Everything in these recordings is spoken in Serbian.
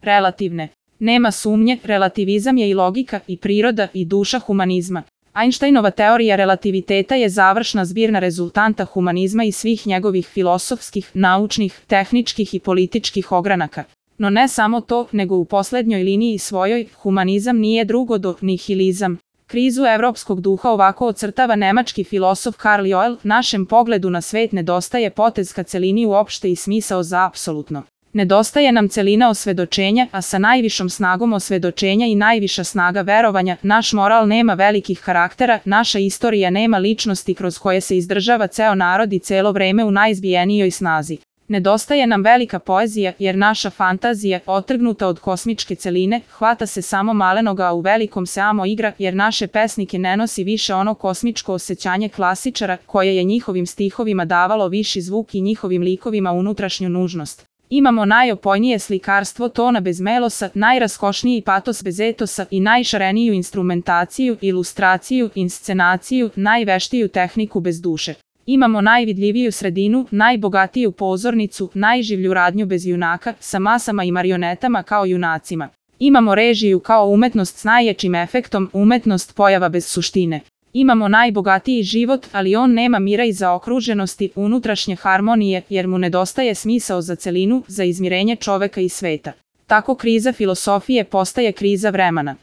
relativne. Nema sumnje, relativizam je i logika, i priroda, i duša humanizma. Einsteinova teorija relativiteta je završna zbirna rezultanta humanizma i svih njegovih filosofskih, naučnih, tehničkih i političkih ogranaka. No ne samo to, nego u poslednjoj liniji svojoj, humanizam nije drugo do nihilizam. Krizu evropskog duha ovako ocrtava nemački filosof Karl Joel, našem pogledu na svet nedostaje potez ka celini uopšte i smisao za apsolutno. Nedostaje nam celina osvedočenja, a sa najvišom snagom osvedočenja i najviša snaga verovanja, naš moral nema velikih karaktera, naša istorija nema ličnosti kroz koje se izdržava ceo narod i celo vreme u najizbijenijoj snazi. Nedostaje nam velika poezija, jer naša fantazija, otrgnuta od kosmičke celine, hvata se samo malenoga, a u velikom se amo igra, jer naše pesnike ne nosi više ono kosmičko osjećanje klasičara, koje je njihovim stihovima davalo viši zvuk i njihovim likovima unutrašnju nužnost. Imamo najopojnije slikarstvo tona bez melosa, najraskošniji patos bez etosa i najšareniju instrumentaciju, ilustraciju, inscenaciju, najveštiju tehniku bez duše. Imamo najvidljiviju sredinu, najbogatiju pozornicu, najživlju radnju bez junaka, sa masama i marionetama kao junacima. Imamo režiju kao umetnost s najjačim efektom, umetnost pojava bez suštine. Imamo najbogatiji život, ali on nema mira i zaokruženosti, unutrašnje harmonije, jer mu nedostaje smisao za celinu, za izmirenje čoveka i sveta. Tako kriza filosofije postaje kriza vremena.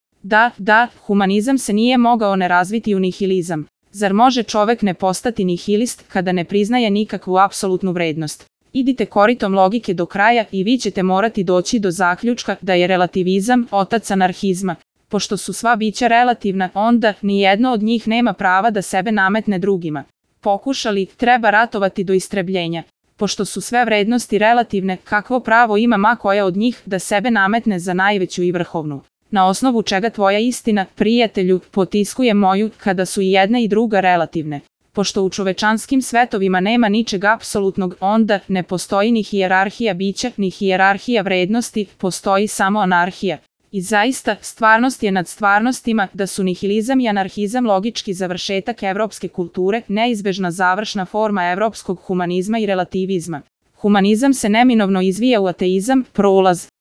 Da, humanizam se nije mogao ne razviti u nihilizam. Zar može čovek ne postati nihilist kada ne priznaje nikakvu apsolutnu vrednost? Idite koritom logike do kraja i vi ćete morati doći do zaključka da je relativizam otac anarhizma. Pošto su sva bića relativna, onda nijedno od njih nema prava da sebe nametne drugima. Pokušali, treba ratovati do istrebljenja. Pošto su sve vrednosti relativne, kakvo pravo ima ma koja od njih da sebe nametne za najveću i vrhovnu? Na osnovu čega tvoja istina, prijatelju, potiskuje moju, kada su i jedna i druga relativne. Pošto u čovečanskim svetovima nema ničeg apsolutnog, onda ne postoji ni hijerarhija bića, ni hijerarhija vrednosti, postoji samo anarhija. I zaista, stvarnost je nad stvarnostima, da su nihilizam i anarhizam logički završetak evropske kulture, neizbežna završna forma evropskog humanizma i relativizma. Humanizam se neminovno izvija u ateizam, prolaz.